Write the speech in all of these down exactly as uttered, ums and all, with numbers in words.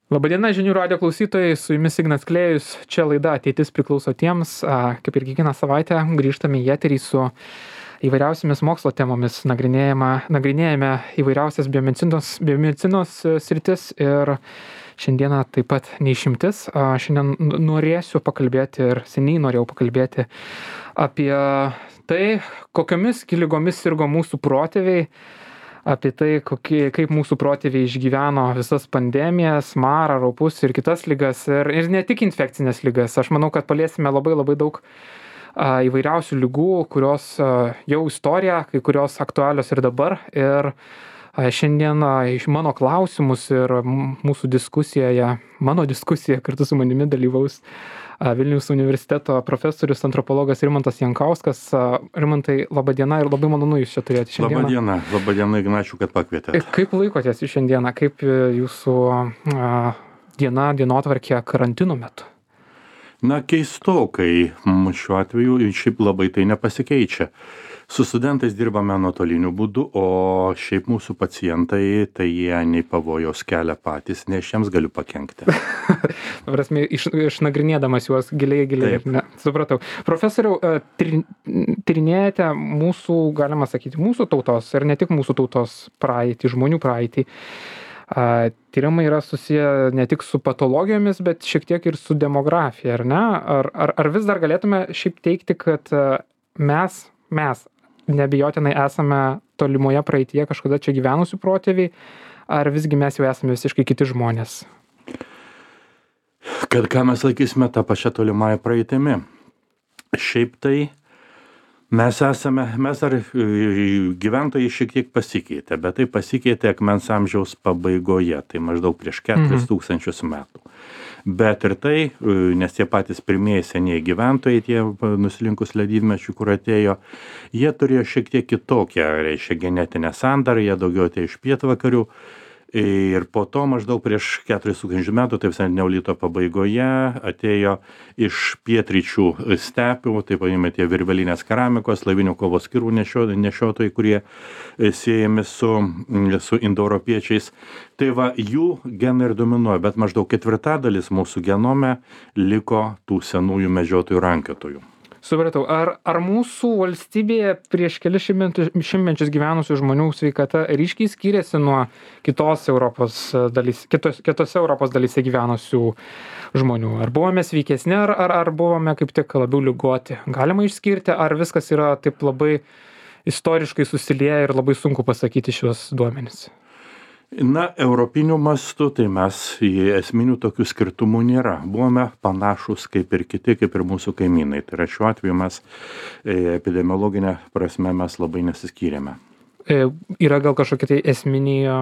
Labadiena žinių radijo klausytojai, su jumis Ignas Klėjus, čia laida Ateitis priklauso tiems, kaip ir kiekvieną savaitę grįžtame į eterį su įvairiausiamis mokslo temomis, nagrinėjame įvairiausias biomedicinos, biomedicinos sritis ir šiandieną taip pat neišimtis. Šiandien norėsiu pakalbėti ir seniai norėjau pakalbėti apie tai, kokiomis ligomis sirgo mūsų protėviai, apie tai, kokie, kaip mūsų protėviai išgyveno visas pandemijas, marą, raupus ir kitas ligas, ir, ir ne tik infekcinės ligas. Aš manau, kad paliesime labai labai daug a, įvairiausių ligų, kurios a, jau istorija, kai kurios aktualios ir dabar. Ir a, šiandien a, iš mano klausimus ir mūsų diskusijoje, mano diskusija kartu su manimi dalyvaus a, Vilniaus universiteto profesorius, antropologas Rimantas Jankauskas. A, Rimantai, laba diena ir labai malonu jūs čia turėti šiandieną. Labą dieną, labą dieną, Ignačiu, kad pakvietėte. Kaip laikotės jūs šiandieną, kaip jūsų a, diena, dienotvarkė karantino metu? Na, keistokai, šiuo atveju šiaip labai tai nepasikeičia. Su studentais dirbame nuotoliniu būdu, o šiaip mūsų pacientai, tai jie nei pavojaus kelia patys, nei aš jiems galiu pakenkti. Prasme, iš, išnagrinėdamas juos giliai, giliai. Ne, supratau. Profesoriau, tyrinėjate mūsų, galima sakyti, mūsų tautos ir ne tik mūsų tautos praeitį, žmonių praeitį. Tyrimai yra susiję ne tik su patologijomis, bet šiek tiek ir su demografija, ar ne? Ar, ar, ar vis dar galėtume šiaip teikti, kad mes, mes neabejotinai esame tolimoje praeityje kažkada čia gyvenusių protėviai, ar visgi mes jau esame visiškai kiti žmonės? Kad ką mes laikysime tą pačią tolimąją praeitimi. Šiaip tai mes esame, mes ar gyventojai šiek tiek pasikeitė, bet tai pasikeitė akmens amžiaus pabaigoje, tai maždaug prieš keturis tūkstančius metų. Bet ir tai, nes tie patys pirmieji senieji gyventojai, tie nusilinkus ledynmečių, kur atėjo, jie turėjo šiek tiek kitokią, reiškia, genetinę sandarą, jie daugiau atėjo iš pietvakarių. Ir po to maždaug prieš keturis tūkstančius metų, taip sakant, neolito pabaigoje, atėjo iš pietryčių stepių, taip vadinami tie virvelinės keramikos, lavinių kovos kirvų nešiotojai, kurie siejami su, su indoeuropiečiais. Tai va, jų genai ir dominuoja, bet maždaug ketvirtadalis mūsų genome liko tų senųjų medžiotojų rankiotojų. Supratau, ar, ar mūsų valstybėje prieš kelis šimtmečius gyvenusių žmonių sveikata ryškiai skiriasi nuo kitos Europos dalys, kitos, kitose Europos dalyse gyvenusių žmonių? Ar buvome sveikesni, ar, ar, ar buvome kaip tik labiau ligoti? Galima išskirti, ar viskas yra taip labai istoriškai susilieję ir labai sunku pasakyti šios duomenys? Na, europiniu mastu, tai mes esminių tokių skirtumų nėra. Buvome panašus kaip ir kiti, kaip ir mūsų kaimynai. Tai yra šiuo atveju mes epidemiologinė prasme mes labai nesiskyrėme. E, yra gal kažkokie tai esminiai,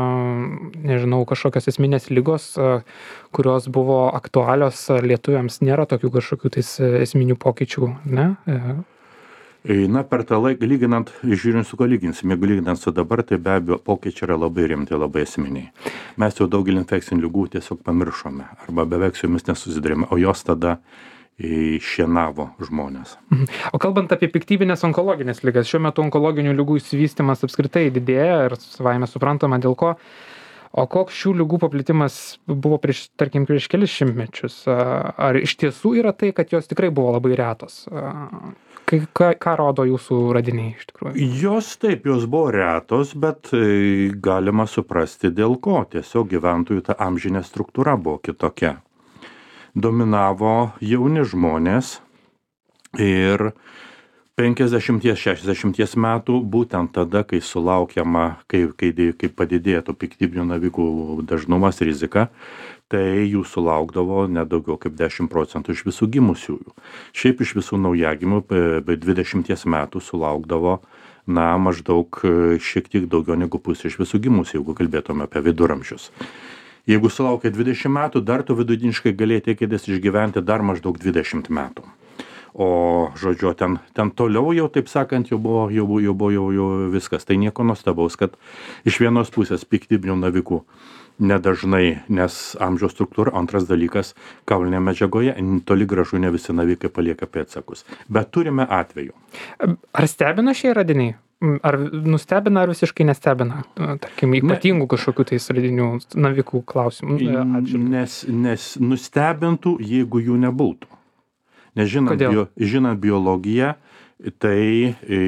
nežinau, kažkokios esminės ligos, kurios buvo aktualios lietuviams, nėra tokių kažkokių tais esminių pokyčių, ne? E. Na, per tą laiką, lyginant, žiūrint su ko lyginsim, jeigu lyginant su dabar, tai be abejo pokyčiai yra labai rimti, labai esminiai. Mes jau daugelį infekcinių ligų tiesiog pamiršome, arba beveik su jomis nesusidurėme, o jos tada šienavo žmonės. O kalbant apie piktybinės onkologinės ligas, šiuo metu onkologinių ligų išsivystymas apskritai didėja ir savaime suprantama dėl ko. O koks šių ligų paplitimas buvo prieš, tarkim, prieš kelis šimtmečius? Ar iš tiesų yra tai, kad jos tikrai buvo labai retos? Ką, ką rodo jūsų radiniai iš tikrųjų? Jos taip, jos buvo retos, bet galima suprasti dėl ko. Tiesiog gyventojų ta amžinė struktūra buvo kitokia. Dominavo jauni žmonės ir penkiasdešimties šešiasdešimties metų, būtent tada, kai sulaukiama, kai, kai, kai padidėtų piktybinių navikų dažnumas, rizika, tai jų sulaukdavo nedaugiau kaip dešimt procentų iš visų gimusiųjų. Šiaip iš visų naujagimių dvidešimties metų sulaukdavo, na, maždaug šiek tiek daugiau negu pusė iš visų gimusių, jeigu kalbėtume apie viduramžius. Jeigu sulaukia dvidešimt metų, dar tu vidutiniškai galėjai tikėtis išgyventi dar maždaug dvidešimt metų. O, žodžiu, ten, ten toliau jau, taip sakant, jau buvo, jau, jau buvo jau, jau viskas. Tai nieko nuostabaus, kad iš vienos pusės piktybinių navikų nedažnai, nes amžiaus struktūra, antras dalykas, kaulinėje medžiagoje toli gražu ne visi navikai palieka pėdsakus. Bet turime atvejų. Ar stebina šie radiniai? ar nustebina, ar visiškai nestebina, tarkim, ypatingų kažkokių tai saldinių navikų klausimų atžvilgiu? Nes, nes nustebintų, jeigu jų nebūtų. Nes žinant, bio, žinant biologiją, tai e,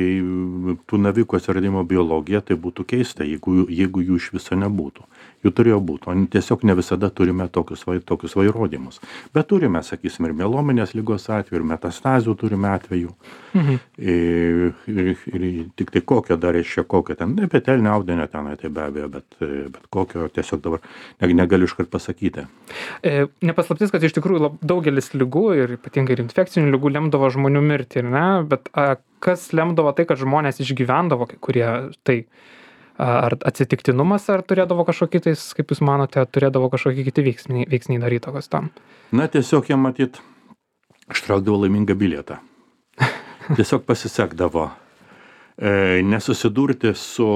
tų navikų atsiradimo biologija, tai būtų keista, jeigu, jeigu jų iš viso nebūtų. Jų turėjo būti, o tiesiog ne visada turime tokius, tokius vairodymus. Bet turime, sakysim, ir mielominės lygos atveju, ir metastazių turime atveju. Mhm. Ir, ir, ir tik tai kokio dar reiškia, kokio ten, epitelinio audinio tenai, tai be abejo, bet, bet kokio tiesiog dabar negaliu iškart pasakyti. E, nepaslaptis, kad iš tikrųjų lab, daugelis lygų ir ypatingai ir infekcinių lygų lemdavo žmonių mirtį, ne? Bet a, kas lemdavo tai, kad žmonės išgyvendavo, kai kurie tai? Ar atsitiktinumas, ar turėdavo kažkokį tais, kaip jūs manote, turėdavo kažkokį kiti veiksniai, veiksniai dar įtakos tam? Na, tiesiog jie matyt, ištraukdavo laimingą bilietą. Tiesiog pasisekdavo. E, nesusidurti su,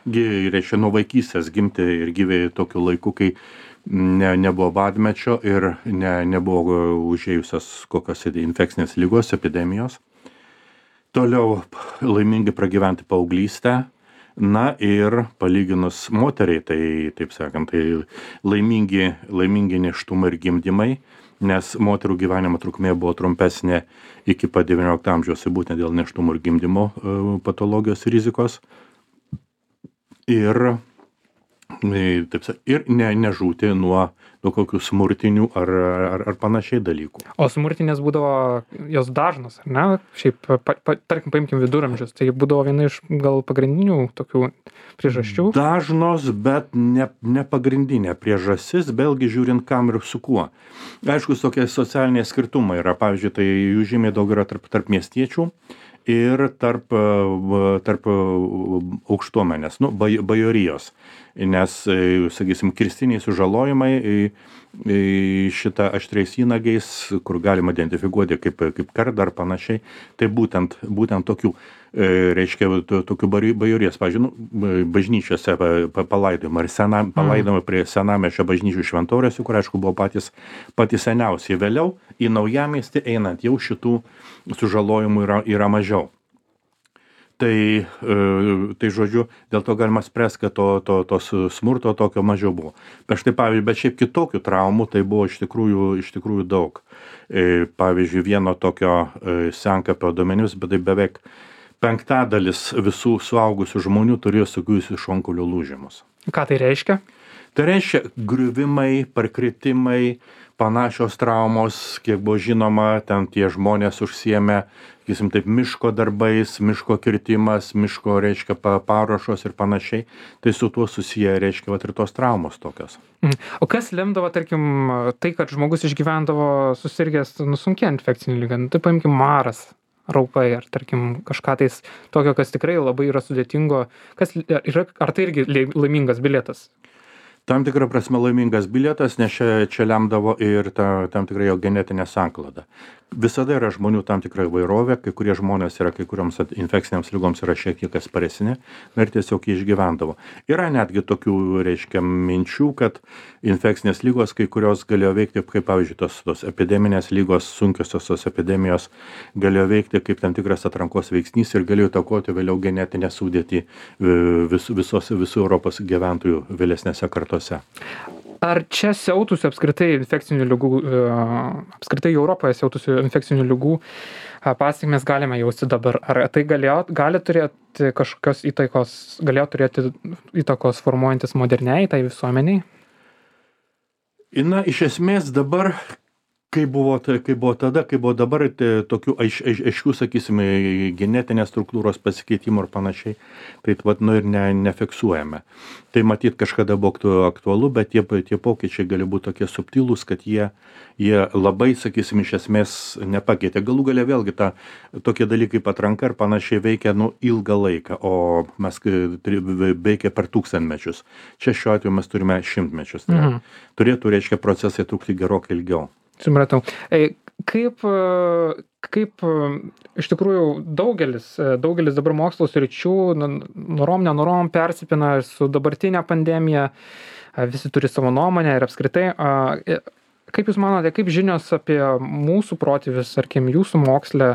reiškia, nuo vaikystės gimti ir gyventi tokiu laiku, kai ne, nebuvo badmečio ir ne, nebuvo užėjusios kokios infekcinės lygos, epidemijos. Toliau laimingai pragyventi paauglystę. Na ir palyginus moteriai, tai, taip sakant, tai laimingi, laimingi nėštumai ir gimdymai, nes moterų gyvenimo trukmė buvo trumpesnė iki pat devyniolikto amžiaus, būtent dėl nėštumo ir gimdymo patologijos rizikos. Ir, taip sakant, ir ne, nežūti nuo, nuo kokių smurtinių ar, ar, ar panašiai dalykų. O smurtinės būdavo jos dažnos, ar ne? Šiaip, pa, pa, tarkim, paimkim viduramžius, tai būdavo viena iš gal pagrindinių tokių priežasčių. Dažnos, bet ne, ne pagrindinė priežastis, vėlgi žiūrint kam ir su kuo. Aišku, tokie socialiniai skirtumai yra, pavyzdžiui, tai jų žymiai daug yra tarp, tarp miestiečių ir tarp, tarp aukštuomenės, nu, bajorijos. Nes, sakysim, kirstiniai sužalojimai šitą aštriais įnagiais, kur galima identifikuoti kaip, kaip kardą ar panašiai, tai būtent, būtent tokių, reiškia, tokių bajorijos, pavyzdžiui, nu, bažnyčiose palaidojimai, ar senam, palaidojimai prie senamiesčio bažnyčių šventoriuose, kur, aišku, buvo patys, patys seniausiai. Vėliau į naujamiestį einant jau šitų sužalojimų yra, yra mažiau. Tai, tai žodžiu, dėl to galima spręsti, kad to, to, tos smurto tokio mažiau buvo. Bet štai, pavyzdžiui, bet šiaip kitokių traumų tai buvo iš tikrųjų, iš tikrųjų daug. Pavyzdžiui, vieno tokio senkapio duomenimis, bet tai beveik penktadalis visų suaugusių žmonių turėjo sugijusius šonkaulio lūžimus. Ką tai reiškia? Tai reiškia griuvimai, parkritimai, panašios traumos, kiek buvo žinoma, ten tie žmonės užsiėmė, sakysim, taip, miško darbais, miško kirtimas, miško, reiškia, paruošos ir panašiai. Tai su tuo susiję, reiškia, vat ir tos traumos tokios. O kas lemdavo, tarkim, tai, kad žmogus išgyvendavo susirgęs nusunkia infekcinį ligą? Tai paimkim maras, raupai, ar tarkim kažką tais tokio, kas tikrai labai yra sudėtingo. Kas, yra, ar tai irgi laimingas bilietas? Tam tikrą prasme laimingas bilietas, nes čia, čia lemdavo ir ta, tam tikrai jo genetinė sanklada. Visada yra žmonių tam tikra įvairovė, kai kurie žmonės yra, kai kurioms infekcinėms lygoms yra šiek tiek atsparesni ir tiesiog jį išgyvendavo. Yra netgi tokių, reiškia, minčių, kad infekcinės lygos, kai kurios galėjo veikti, kaip pavyzdžiui, tos, tos epideminės lygos, sunkiosios tos epidemijos, galėjo veikti kaip tam tikras atrankos veiksnys ir galėjo įtakoti vėliau genetinę sudėtį vis, visos, visų Europos gyventojų vėlesnėse kartose. Ar čia siautusių apskritai infekcinių ligų, apskritai Europoje siautusių infekcinių ligų pasekmes galime jausti dabar? Ar tai galėjo, gali turėti kažkokios įtakos, galėjo turėti įtakos formuojantis moderniai tai visuomeniai? Na, iš esmės dabar, kai buvo, kai buvo tada, kai buvo dabar, tai tokių aiš, aiš, aiškių, sakysime, genetinės struktūros pasikeitimų ir panašiai, tai vat, nu, ir ne, nefiksuojame. Tai matyt kažkada buvo aktualu, bet tie, tie pokyčiai gali būti tokie subtilūs, kad jie, jie labai, sakysim, iš esmės nepakeitė. Galų galia vėlgi ta, tokie dalykai patranka ir panašiai veikia nu, ilgą laiką, o mes veikia per tūkstantmečius. Čia šiuo atveju mes turime šimtmečius. Tai mhm. Turėtų, reiškia, procesai trukti gerokai ilgiau. Supratau. Kaip, kaip iš tikrųjų daugelis, daugelis dabar mokslo sričių, norom, nenorom persipina su dabartinė pandemija, visi turi savo nuomonę ir apskritai. Kaip jūs manote, kaip žinios apie mūsų protėvius, tarkim, jūsų moksle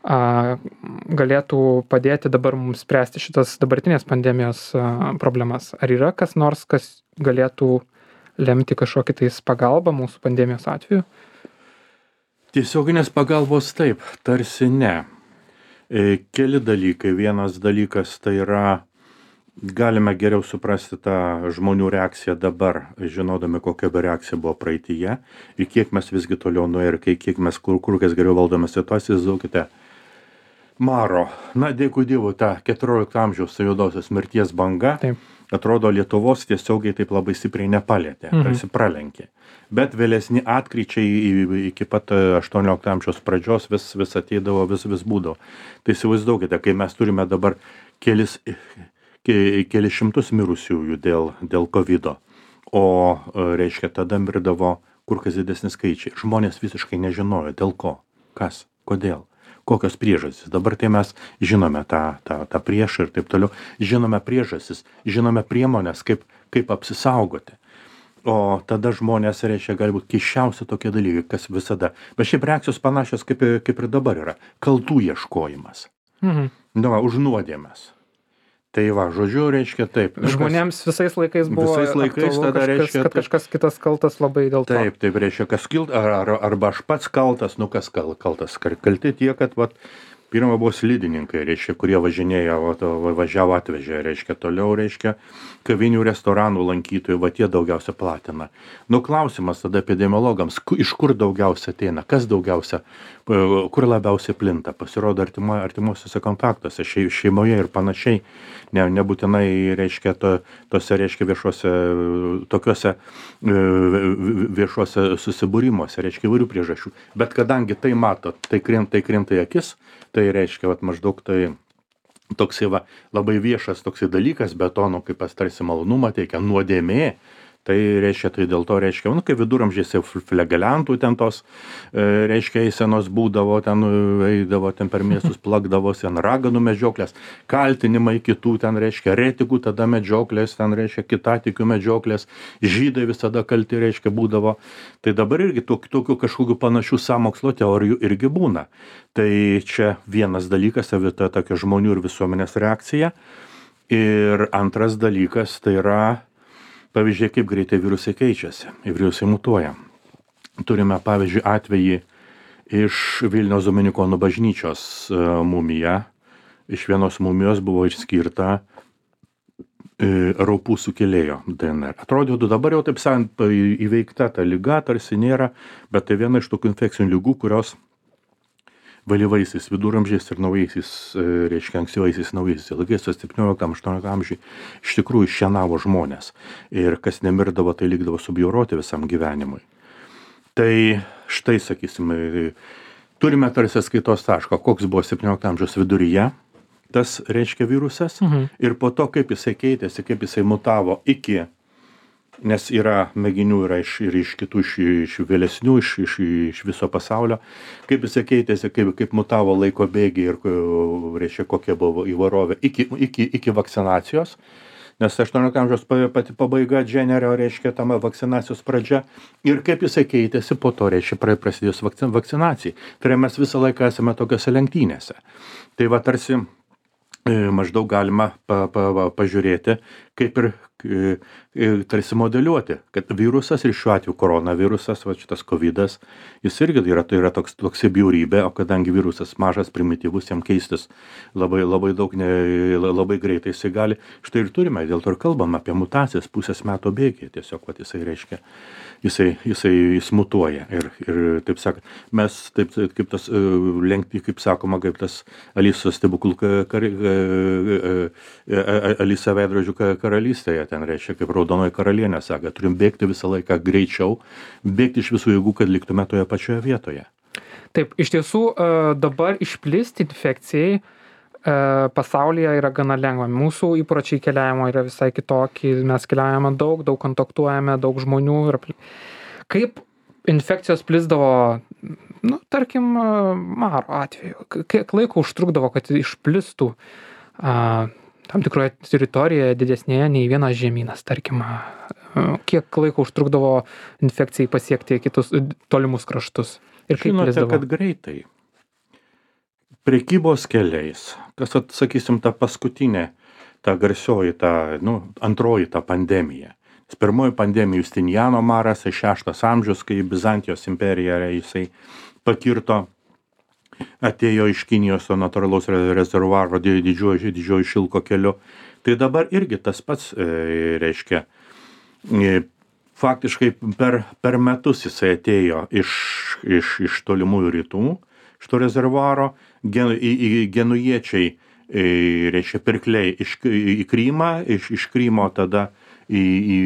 galėtų padėti dabar mums spręsti šitas dabartinės pandemijos problemas? Ar yra kas nors, kas galėtų lemti kažkokį tais pagalbą mūsų pandemijos atveju? Tiesioginės pagalbos taip, tarsi ne. Keli dalykai. Vienas dalykas tai yra, galime geriau suprasti tą žmonių reakciją dabar, žinodami, kokia reakcija buvo praeityje ir kiek mes visgi toliau nuėjo ir kiek mes kur, kur kas geriau valdome situaciją. Įsivaizduokite, maro, na dėkui Dievui, ta keturiolikto amžiaus juodosios mirties banga, taip, atrodo Lietuvos tiesiogiai taip labai stipriai nepalėtė, mhm. tarsi pralenkė. Bet vėlesni atkryčiai iki pat aštuoniolikto amžiaus pradžios vis, vis ateidavo, vis, vis būdavo. Tai įsivaizduokite, kai mes turime dabar kelis, kelis šimtus mirusiųjų dėl, dėl kovido, o reiškia tada mirdavo kur kas didesni skaičiai. Žmonės visiškai nežinojo dėl ko, kas, kodėl, kokios priežastys. Dabar tai mes žinome tą, tą, tą priešą ir taip toliau. Žinome priežastys, žinome priemonės, kaip, kaip apsisaugoti. O tada žmonės, reiškia, galbūt keiščiausi tokie dalykai, kas visada. Bet šiaip reakcijos panašios kaip, kaip ir dabar yra. Kaltų ieškojimas. Mhm. Nu, va, už nuodėmes. Tai va, žodžiu, reiškia taip. Žmonėms visais laikais buvo visais laikais aktualu tada, kažkas, reiškia, kad kažkas kitas kaltas labai dėl to. Taip, taip, reiškia, kas kilt, ar, ar, arba aš pats kaltas, nu kas kal, kaltas. Kalti tie, kad vat, pirma buvo slidininkai, reiškia, kurie važinėjo, vat, važiavo atvežė, reiškia, toliau, reiškia, kavinių restoranų lankytojų, va tie daugiausia platina. Nu, klausimas tada epidemiologams, iš kur daugiausia ateina, kas daugiausia, kur labiausiai plinta, pasirodo artimo, artimuosiuose kontaktuose, šeimoje ir panašiai, ne, nebūtinai, reiškia, to, tose, reiškia, viešuose, tokiuose viešuose susibūrimuose, reiškia, įvairių priežasčių. Bet kadangi tai mato, tai krinta, tai krinta į akis, tai reiškia, vat, maždaug tai toksai va, labai viešas toksai dalykas, bet to, nu, kaip tarsi malonumą teikia, nuodėmė, tai reiškia, tai dėl to reiškia, nu, kaip viduramžiais flegelentų ten tos, reiškia, eisenos būdavo, ten eidavo, ten per miestus plakdavosi, ten raganų medžioklės, kaltinimai kitų, ten reiškia, retikų tada medžioklės, ten reiškia, kitatikių medžioklės, žydai visada kalti, reiškia, būdavo. Tai dabar irgi tokių, tokių kažkokių panašių sąmokslo teorijų irgi būna. Tai čia vienas dalykas, savita tokia žmonių ir visuomenės reakcija. Ir antras dalykas, tai yra pavyzdžiui, kaip greitai virusai keičiasi, virusai mutuoja. Turime, pavyzdžiui, atvejį iš Vilniaus Dominikonų bažnyčios mumija. Iš vienos mumijos buvo išskirta raupų sukėlėjo D N R. Atrodytų, dabar jau taip sakant, įveikta ta liga, tarsi nėra, bet tai viena iš tokių infekcinių ligų, kurios vėlyvaisiais viduramžiais ir naujaisiais, reiškia, ankstyvaisiais naujaisiais laikais, septynioliktam aštuonioliktam amžiui, iš tikrųjų šienavo žmonės. Ir kas nemirdavo, tai likdavo subjauroti visam gyvenimui. Tai štai, sakysime, turime tarsi skaitos tašką, koks buvo septyniolikto amžiaus viduryje tas, reiškia, virusas, mhm. ir po to, kaip jisai keitėsi, kaip jisai mutavo iki, nes yra mėginių yra iš, ir iš kitų, iš, iš vėlesnių, iš, iš, iš viso pasaulio, kaip jisai keitėsi, kaip, kaip mutavo laiko bėgiai ir, reiškia, kokia buvo įvairovė iki, iki, iki vakcinacijos, nes aštuoniolikto amžiaus pati pabaiga, Dženerio, reiškia, tame vakcinacijos pradžia, ir kaip jisai keitėsi po to, reiškia, prasidėjus vakcinacijai. Tai mes visą laiką esame tokiose lenktynėse. Tai va tarsi maždaug galima pa, pa, pa, pažiūrėti, kaip ir tarsi modeliuoti, kad virusas ir šiuo atveju koronavirusas, va šitas kovidas, jis irgi yra, tai yra toks, toks bjaurybė, o kadangi virusas mažas, primityvus, jam keistis labai, labai daug, ne, labai greitai jisai gali, štai ir turime, dėl to ir kalbam apie mutacijas pusės metų bėgyje, tiesiog, va, jisai reiškia, jisai, jisai jis mutuoja ir, ir taip sakant, mes taip, kaip tas lenkti, kaip sakoma, kaip tas Alisos stebuklų kar, Alisa veidrodžių karalystėje, ten reiškia, kaip raudonoji karalienė sako, turim bėgti visą laiką greičiau, bėgti iš visų jėgų, kad liktume toje pačioje vietoje. Taip, iš tiesų dabar išplisti infekcijai pasaulyje yra gana lengva. Mūsų įpročiai keliavimo yra visai kitokie, mes keliaujame daug, daug kontaktuojame, daug žmonių. Ir kaip infekcijos plisdavo, nu, tarkim, maro atveju, kiek laiko užtrukdavo, kad išplistų a, tam tikroje teritorijoje didesnėje nei vienas žemynas, tarkim, kiek laiko užtrukdavo infekcijai pasiekti kitus tolimus kraštus ir kaip Žinote, plisdavo? Kad greitai. prekybos keliais, kas, at, sakysim, ta paskutinė, ta garsioji, ta, nu, antroji ta pandemija. Pirmoji pandemija Justiniano maras, šeštas amžius, kai Bizantijos imperija jisai pakirto, atėjo iš Kinijos to natūralaus rezervuaro didžiojo, didžiojo šilko keliu. Tai dabar irgi tas pats, e, reiškia, e, faktiškai per, per metus jisai atėjo iš, iš, iš tolimųjų rytų, iš to rezervuaro, gen, į, į genujiečiai, e, reiškia, pirkliai iš, į Krymą, iš, iš Krymo tada į, į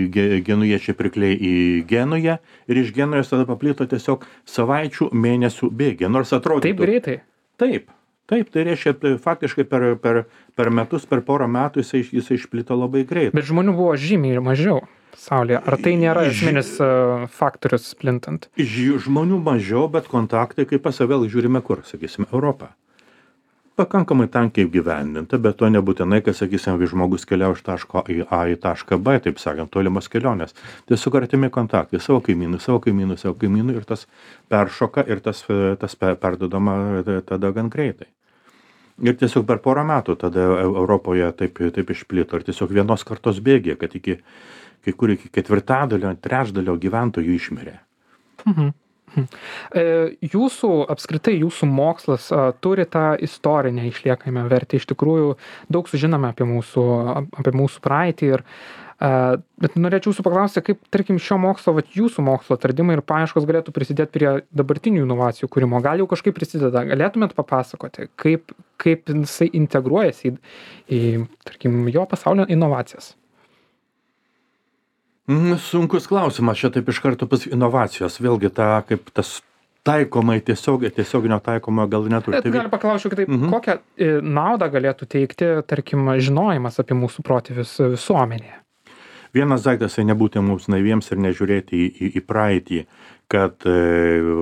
genujiečiai pirkliai į Genują ir iš Genujos tada paplito tiesiog savaičių, mėnesių bėgė, nors atrodo. Taip greitai? Taip, taip, tai reiškia, tai faktiškai per, per, per metus, per porą metų jisai, jisai išplito labai greitai. Bet žmonių buvo žymiai mažiau pasaulyje. Ar tai nėra esminis uh, faktorius plintant? Žmonių mažiau, bet kontaktai, kaip pas vėl žiūrime kur, sakysim, Europą. Pakankamai tankiai gyvendinta, bet to nebūtinai, kad, sakysim, žmogus keliauja iš taško A į tašką B, taip sakant, tolimos kelionės. Tiesiog artimi kontaktai, savo kaimynų, savo kaimynų, savo kaimynų ir tas peršoka ir tas, tas perdodama tada gan greitai. Ir tiesiog per porą metų tada Europoje taip, taip išplito ir tiesiog vienos kartos bėgė, kad iki, kai kur iki ketvirtadalio, trečdalio gyventojų išmirė. Mhm. Jūsų, apskritai jūsų mokslas a, turi tą istorinę išliekamą vertę. Iš tikrųjų, daug sužinome apie mūsų, apie mūsų praeitį. Ir, a, bet norėčiau jūsų paklausti, kaip, tarkim, šio mokslo, vat, jūsų mokslo atradimai ir paieškos galėtų prisidėti prie dabartinių inovacijų kūrimo. Gal jau kažkaip prisideda? Galėtumėt papasakoti, kaip, kaip jisai integruojasi į, į, tarkim, jo pasaulio inovacijas? Sunkus klausimas, čia taip iš karto pas inovacijos, vėlgi ta, kaip tas taikomai tiesiog, tiesioginio taikomo gal neturi. Tai gali paklausiu kitaip, mhm. kokią naudą galėtų teikti, tarkim, žinojimas apie mūsų protėvius visuomenėje? Vienas daiktas, tai nebūti mums naiviems ir nežiūrėti į, į, į praeitį, kad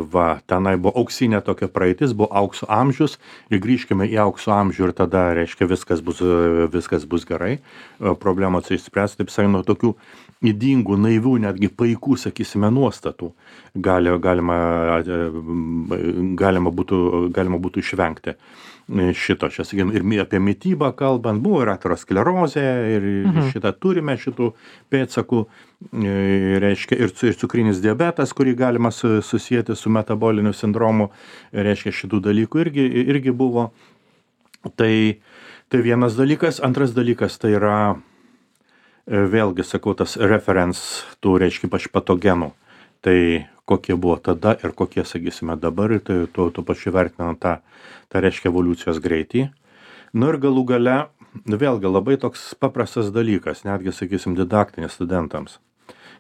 va, tenai buvo auksinė tokia praeitis, buvo aukso amžius ir grįžkime į aukso amžių ir tada, reiškia, viskas bus, viskas bus gerai, problemos išspręs, taip sakant, nuo tokių ydingų, naivių, netgi paikų, sakysime, nuostatų gali, galima, galima, būtų, galima būtų išvengti šito. Čia, sakykime, ir apie mitybą kalbant, buvo ir aterosklerozė, ir mhm. šitą turime šitų pėdsakų, reiškia, ir, ir cukrinis diabetas, kurį galima susijęti su metaboliniu sindromu, reiškia, šitų dalykų irgi, irgi buvo. Tai, tai vienas dalykas. Antras dalykas tai yra vėlgi, sakau, tas reference tų, reiškia, pač patogenų. Tai kokie buvo tada ir kokie, sakysime, dabar, ir tai tuo, tuo pačiu vertinant tą, tą, reiškia, evoliucijos greitį. Nu ir galų gale, vėlgi, labai toks paprastas dalykas, netgi, sakysim, didaktinis studentams.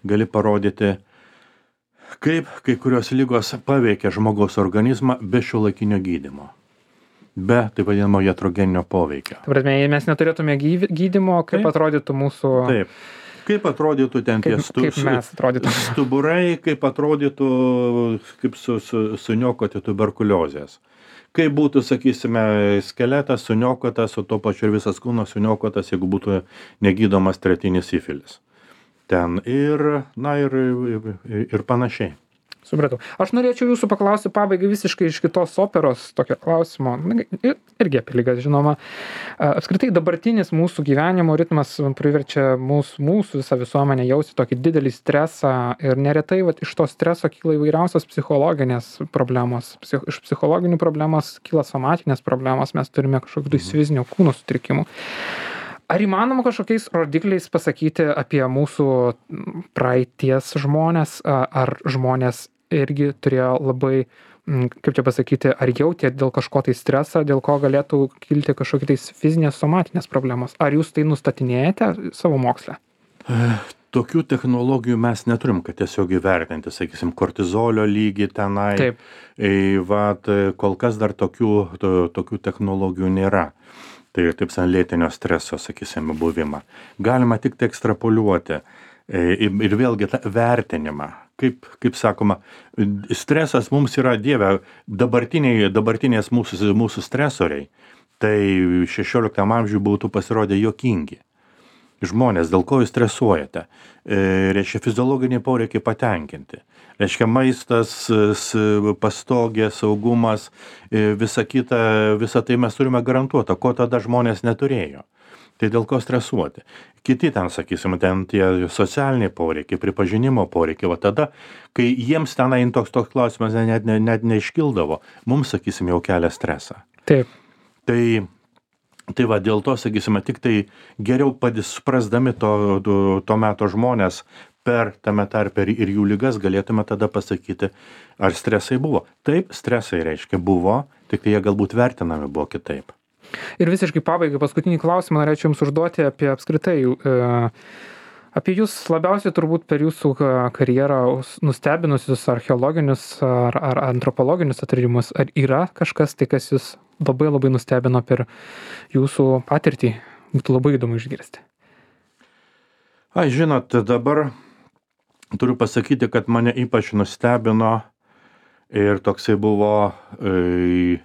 Gali parodyti, kaip kai kurios ligos paveikia žmogaus organizmą be šiuolaikinio gydymo. Be, taip vadinamo, iatrogeninio poveikio. Taip, mes neturėtume gydymo, kaip taip atrodytų mūsų... Taip, kaip atrodytų ten tie stu... stuburai, kaip atrodytų, kaip su, su, suniokoti tuberkuliozės. Kaip būtų, sakysime, skeletas suniokotas, o to pačiu ir visas kūnas suniokotas, jeigu būtų negydomas tretinis sifilis. Ten ir, na, ir, ir, ir panašiai. Supratau. Aš norėčiau jūsų paklausti pabaigai visiškai iš kitos operos tokio klausimo, irgi apie ligas, žinoma. Apskritai dabartinis mūsų gyvenimo ritmas priverčia mūsų, mūsų visą visuomenę jausti tokį didelį stresą ir neretai vat, iš to streso kyla įvairiausios psichologinės problemos. Psich, iš psichologinių problemos kyla somatinės problemos, mes turime kažkokių tai fizinio kūno sutrikimų. Ar įmanoma kažkokiais rodikliais pasakyti apie mūsų praeities žmonės, ar žmonės irgi turėjo labai, kaip čia pasakyti, ar jautė dėl kažko tai stresą, dėl ko galėtų kilti kažkokie tai fizinės somatinės problemos? Ar jūs tai nustatinėjate savo moksle? Tokių technologijų mes neturim, kad tiesiog įvertinti, sakysim, kortizolio lygį tenai. Taip. Vat, kol kas dar tokių, to, tokių technologijų nėra. Tai taip san lėtinio streso, sakysime, buvimą. Galima tik tai ekstrapoliuoti ir vėlgi tą vertinimą. Kaip, kaip sakoma, stresas mums yra, Dieve, dabartiniai, dabartinės mūsų, mūsų stresoriai, tai šešioliktam amžiui būtų pasirodę juokingi. žmonės, dėl ko jūs stresuojate. E, reiškia, fiziologiniai poreikiai patenkinti. Reiškia, maistas, pastogė, saugumas, e, visa kita, visa tai mes turime garantuotą, ko tada žmonės neturėjo. Tai dėl ko stresuoti. Kiti ten, sakysim, ten tie socialiniai poreikiai, pripažinimo poreikiai, va tada, kai jiems tenai toks toks klausimas net, net, net neiškildavo, mums, sakysim, jau kelia stresą. Taip. Tai, tai va, dėl to, sakysime, tik tai geriau suprasdami to, to, to meto žmonės per tame tarpe ir jų ligas galėtume tada pasakyti, ar stresai buvo. Taip, stresai reiškia buvo, tik tai jie galbūt vertinami buvo kitaip. Ir visiškai pabaigai paskutinį klausimą norėčiau Jums užduoti apie apskritai, apie Jūs labiausiai turbūt per Jūsų karjerą nustebinusius archeologinius ar, ar antropologinius atradimus. Ar yra kažkas tai, kas Jūs labai labai nustebino per Jūsų patirtį? Būtų labai įdomu išgirsti. Ai, žinot, dabar turiu pasakyti, kad mane ypač nustebino ir toksai buvo e,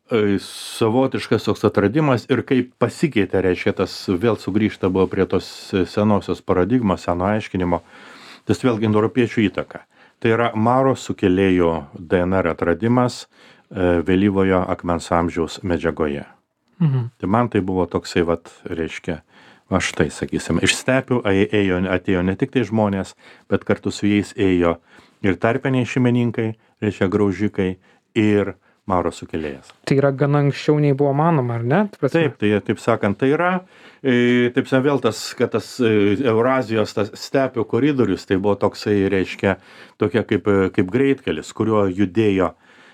savotiškas toks atradimas ir kaip pasikeitė, reiškia, tas vėl sugrįžta buvo prie tos senosios paradigmos, seno aiškinimo, tas vėlgi europiečių įtaka. Tai yra Maro sukėlėjų D N R atradimas vėlyvojo akmens amžiaus medžiagoje. Mhm. Tai man tai buvo toksai, vat, reiškia, va štai, sakysim, iš stepių ėjo, atėjo ne tik tai žmonės, bet kartu su jais ėjo ir tarpiniai šeimininkai, reiškia, graužikai ir Maro sukėlėjas. Tai yra gana anksčiau nei buvo manoma, ar ne? Taip, tai taip sakant, tai yra, taip sakant, vėl tas, kad tas Eurazijos tas stepių koridorius, tai buvo toksai, reiškia, tokia kaip, kaip greitkelis, kuriuo judėjo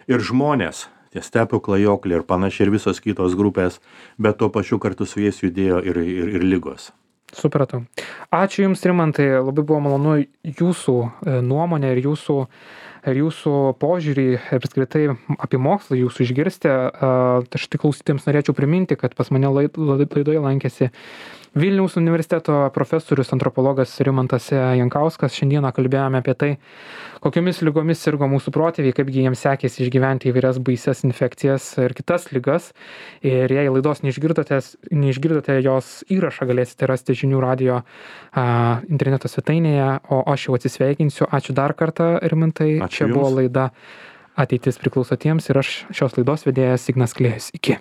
ir žmonės, tie stepių klajokliai ir panašiai ir visos kitos grupės, bet tuo pačiu kartu su jais judėjo ir, ir, ir lygos. Supratau. Ačiū Jums, Rimantai, labai buvo malonu Jūsų nuomonę ir Jūsų ir jūsų požiūrį apskritai apie mokslą jūsų išgirsti. Aš tik klausytėms norėčiau priminti, kad pas mane laidoje lankėsi Vilniaus universiteto profesorius antropologas Rimantas Jankauskas. Šiandieną kalbėjome apie tai, kokiomis ligomis sirgo mūsų protėviai, kaipgi jiems sekėsi išgyventi įvairias baises infekcijas ir kitas ligas. Ir jei laidos neišgirdote, neišgirdote jos įrašą, galėsite rasti žinių radijo a, interneto svetainėje, o aš jau atsisveikinsiu. Ačiū dar kartą, Rimantai. Ačiū Čia Jums. buvo laida Ateitis priklauso tiems ir aš šios laidos vedėjas Ignas Klėjus. Iki.